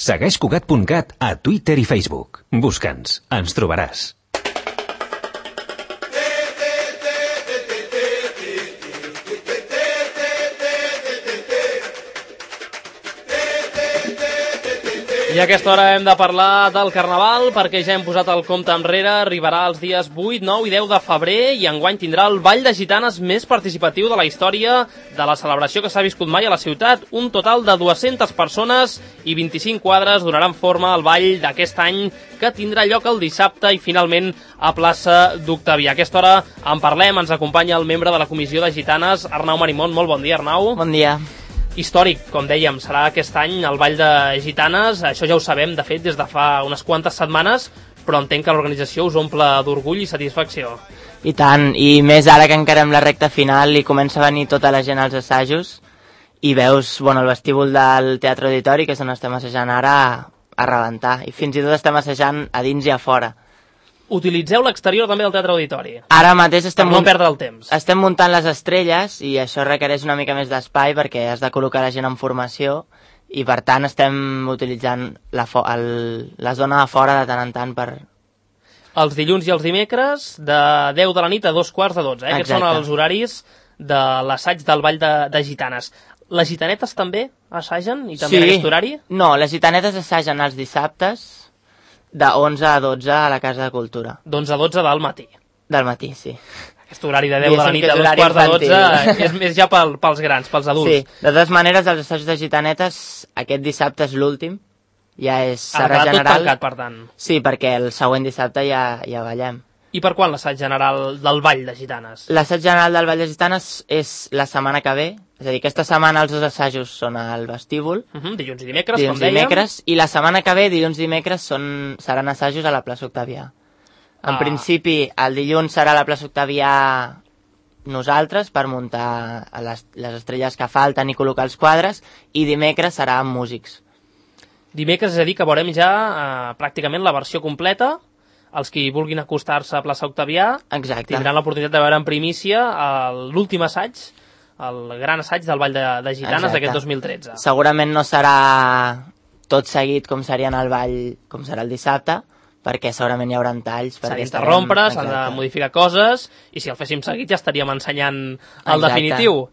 Segueix Cugat.cat a Twitter i Facebook. Busca'ns, ens trobaràs. I a aquesta hora hem de parlar del Carnaval perquè ja hem posat el compte enrere, arribarà els dies 8, 9 i 10 de febrer i enguany tindrà el Ball de Gitanes més participatiu de la història de la celebració que s'ha viscut mai a la ciutat. Un total de 200 persones i 25 quadres donaran forma al ball d'aquest any que tindrà lloc el dissabte i finalment a plaça d'Octavià. A aquesta hora en parlem, ens acompanya el membre de la Comissió de Gitanes, Arnau Marimón. Molt bon dia, Arnau. Bon dia. Històric, com dèiem, serà aquest any el Ball de Gitanes, això ja ho sabem, de fet, des de fa unes quantes setmanes, però entenc que l'organització us omple d'orgull i satisfacció. I tant, i més ara que encarem la recta final i comença a venir tota la gent als assajos i veus el vestíbul del Teatre Auditori, que és on estem assajant ara, a rebentar, i fins i tot estem assajant a dins i a fora. Utilitzeu l'exterior també del Teatre Auditori. Ara mateix per no perdre el temps. Estem muntant les estrelles i això requereix una mica més d'espai perquè has de col·locar la gent en formació i per tant estem utilitzant la zona de fora de tant en tant per... Els dilluns i els dimecres de 10 de la nit a 2:15. Aquests són els horaris de l'assaig del Ball de Gitanes. Les gitanetes també assagen i també en aquest horari? No, les gitanetes assagen els dissabtes de 11 a 12 a la Casa de Cultura. D'11 a 12 del matí? Del matí, sí. Aquest horari de 10 de la nit a 2:15 és més ja pels grans, pels adults. Sí, de totes maneres, els assajos de gitanetes, aquest dissabte és l'últim, ja és serà general. Tot tancat, per tant. Sí, perquè el següent dissabte ja ballem. I per quan l'assaig general del Ball de Gitanes? L'assaig general del Ball de Gitanes és la setmana que ve, és a dir, aquesta setmana els dos assajos són al vestíbul. Dilluns i dimecres, com dèiem. I la setmana que ve, dilluns i dimecres, seran assajos a la plaça Octavià. En principi, el dilluns serà a la plaça Octavià nosaltres per muntar les estrelles que falten i col·locar els quadres, i dimecres serà amb músics. Dimecres, és a dir, que veurem ja pràcticament la versió completa. Els que vulguin acostar-se a plaça Octavià tindran l'oportunitat de veure en primícia l'últim assaig, el gran assaig del Ball de Gitanes d'aquest 2013. Segurament no serà tot seguit com seria en el ball, com serà el dissabte, perquè segurament hi haurà talls. S'ha d'interrompre, s'han de modificar coses, i si el féssim seguit ja estaríem ensenyant el definitiu.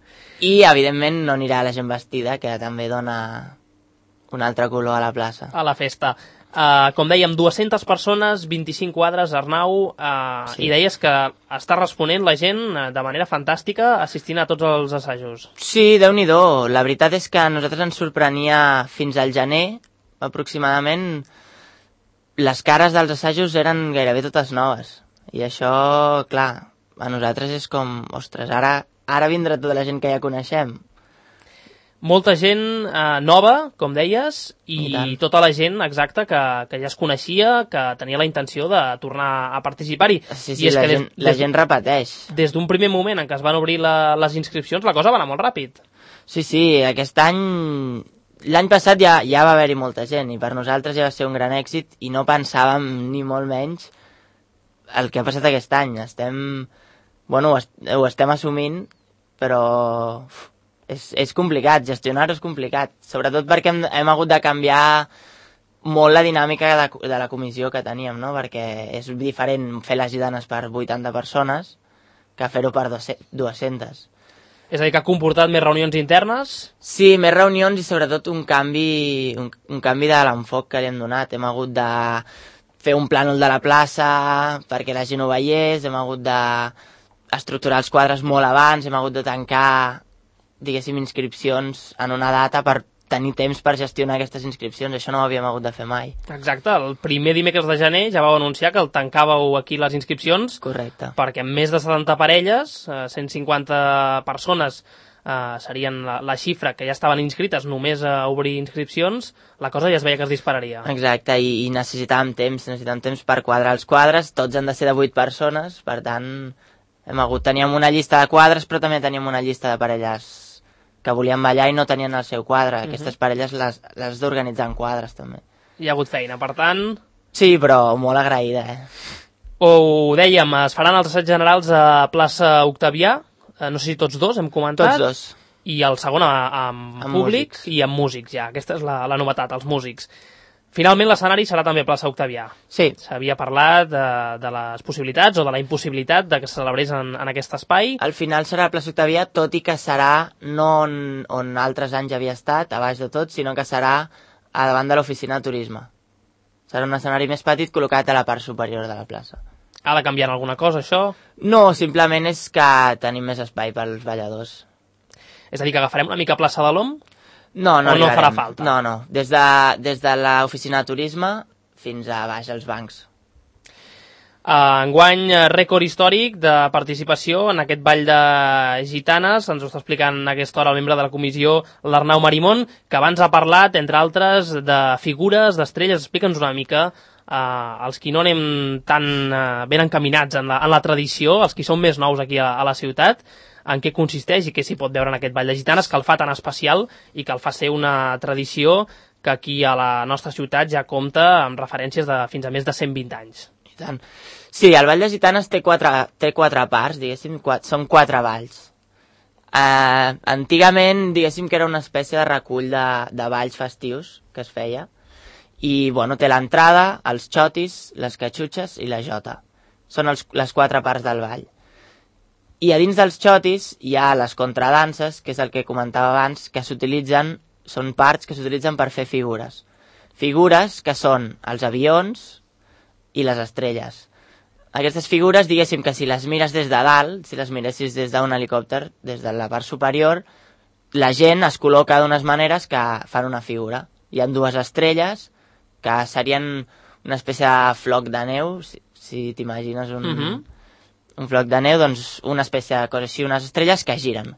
I, evidentment, no anirà la gent vestida, que també dona un altre color a la plaça. A la festa. Com dèiem, 200 persones, 25 quadres, Arnau, i deies que està responent la gent de manera fantàstica assistint a tots els assajos. Sí, Déu-n'hi-do. La veritat és que a nosaltres ens sorprenia fins al gener, aproximadament, les cares dels assajos eren gairebé totes noves. I això, clar, a nosaltres és com, ostres, ara vindrà tota la gent que ja coneixem. Molta gent nova, com deies, i tota la gent exacta que ja es coneixia, que tenia la intenció de tornar a participar-hi. Sí, la gent repeteix. Des d'un primer moment en què es van obrir les inscripcions, la cosa va anar molt ràpid. Sí, aquest any... L'any passat ja va haver-hi molta gent, i per nosaltres ja va ser un gran èxit, i no pensàvem, ni molt menys, el que ha passat aquest any. Ho estem assumint, però... És complicat, gestionar-ho és complicat, sobretot perquè hem hagut de canviar molt la dinàmica de la comissió que teníem, no? Perquè és diferent fer les gitanes per 80 persones que fer-ho per 200. És a dir, que ha comportat més reunions internes? Sí, més reunions i sobretot un canvi de l'enfoc que li hem donat. Hem hagut de fer un plànol de la plaça perquè la gent ho veiés, hem hagut d'estructurar els quadres molt abans, hem hagut de tancar, diguéssim, inscripcions en una data per tenir temps per gestionar aquestes inscripcions. Això no ho havíem hagut de fer mai. Exacte, el primer dimecres de gener ja vau anunciar que el tancàveu aquí les inscripcions. Correcte. Perquè amb més de 70 parelles, 150 persones serien la xifra que ja estaven inscrites només a obrir inscripcions, la cosa ja es veia que es dispararia. Exacte, i necessitàvem temps per quadrar els quadres, tots han de ser de 8 persones, per tant teníem una llista de quadres, però també teníem una llista de parelles que volien ballar i no tenien el seu quadre. Aquestes parelles les d'organitzar en quadres, també. Hi ha hagut feina, per tant... Sí, però molt agraïda, Ho dèiem, es faran els assaigs generals a plaça Octavià, no sé si tots dos, hem comentat. Tots dos. I el segon amb públic músics. I amb músics, ja. Aquesta és la novetat, els músics. Finalment l'escenari serà també plaça Octavià. Sí. S'havia parlat de les possibilitats o de la impossibilitat de que se celebrés en aquest espai. Al final serà la plaça Octavià, tot i que serà no on altres anys havia estat, a baix de tot, sinó que serà a davant de l'oficina de turisme. Serà un escenari més petit col·locat a la part superior de la plaça. Ha de canviar alguna cosa, això? No, simplement és que tenim més espai pels balladors. És a dir, que agafarem una mica plaça de l'OM? No o no farà falta? No. Des de l'oficina de turisme fins a baix als bancs. Enguany, rècord històric de participació en aquest ball de gitanes. Ens ho està explicant a aquesta hora el membre de la comissió, l'Arnau Marimón, que abans ha parlat, entre altres, de figures, d'estrelles. Explica'ns una mica, els qui no anem tan ben encaminats en la tradició, els qui són més nous aquí a la ciutat, en què consisteix i què s'hi pot veure en aquest ball de gitanes, que el fa tan especial i que el fa ser una tradició que aquí a la nostra ciutat ja compta amb referències de fins a més de 120 anys. I tant. Sí, el ball de gitanes té quatre parts, diguéssim, són 4 balls. Antigament, diguéssim que era una espècie de recull de balls festius que es feia, i bueno, té l'entrada, els xotis, les catxutxes i la jota. Són les 4 parts del ball. I a dins dels xotis hi ha les contradanses, que és el que comentava abans, que són parts que s'utilitzen per fer figures. Figures que són els avions i les estrelles. Aquestes figures, diguéssim que si les mires des de dalt, si les miressis des d'un helicòpter, des de la part superior, la gent es col·loca d'unes maneres que fan una figura. Hi ha 2 estrelles, que serien una espècie de floc de neu, si t'imagines un floc de neu, doncs una espècie de cosa així, unes estrelles que giren.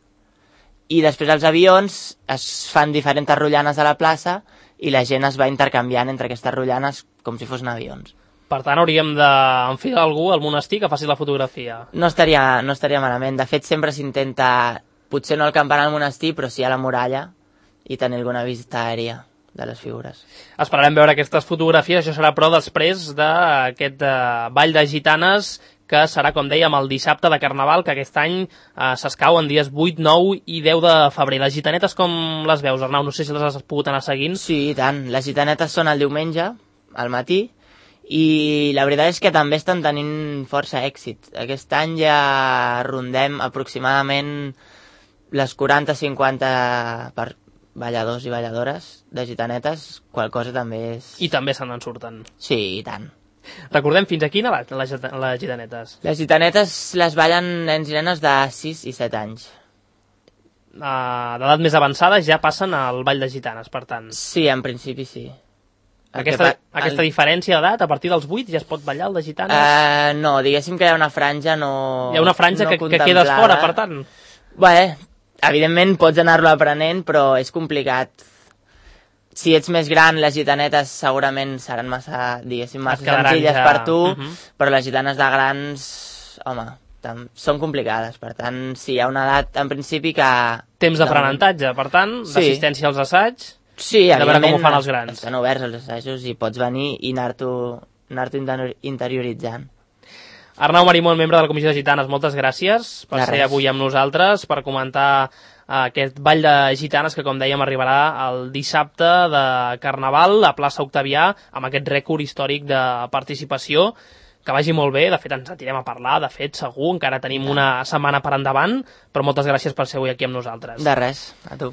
I després els avions es fan diferents rotllanes a la plaça i la gent es va intercanviant entre aquestes rotllanes com si fossin avions. Per tant, hauríem d'enfilar algú al monestir que faci la fotografia. No estaria malament. De fet, sempre s'intenta, potser no el campanar al monestir, però sí a la muralla i tenir alguna vista aèria de les figures. Esperarem veure aquestes fotografies. Això serà, però, després d'aquest ball de gitanes que serà, com dèiem, el dissabte de Carnaval, que aquest any s'escau en dies 8, 9 i 10 de febrer. Les gitanetes com les veus, Arnau? No sé si les has pogut anar seguint. Sí, i tant. Les gitanetes són el diumenge, al matí, i la veritat és que també estan tenint força èxit. Aquest any ja rondem aproximadament les 40-50 per balladors i balladores de gitanetes, qual cosa també és... I també se n'en surten. Sí, i tant. Recordem fins a quina edat les gitanetes? Les gitanetes les ballen nens i nenes de 6 i 7 anys. D'edat més avançada ja passen al ball de gitanes, per tant. Sí, en principi sí. Aquesta diferència d'edat, a partir dels 8 ja es pot ballar el de gitanes? No, diguéssim que hi ha una franja no... Hi ha una franja que quedes fora, per tant? Bé, evidentment pots anar-lo aprenent, però és complicat. Si ets més gran, les gitanetes segurament seran massa, diguéssim, massa senzilles per tu, però les gitanes de grans, home, són complicades. Per tant, sí, hi ha una edat, en principi, que... Temps d'aprenentatge, per tant, d'assistència als assaigs, sí, de veure com ho fan els grans. Estan oberts els assajos i pots venir i anar-t'ho interioritzant. Arnau Marimón, membre de la Comissió de Gitanes, moltes gràcies per ser avui amb nosaltres, per comentar aquest ball de gitanes que, com dèiem, arribarà el dissabte de Carnaval a plaça Octavià, amb aquest rècord històric de participació. Que vagi molt bé, de fet ens sentirem a parlar, de fet segur, encara tenim una setmana per endavant, però moltes gràcies per ser avui aquí amb nosaltres. De res, a tu.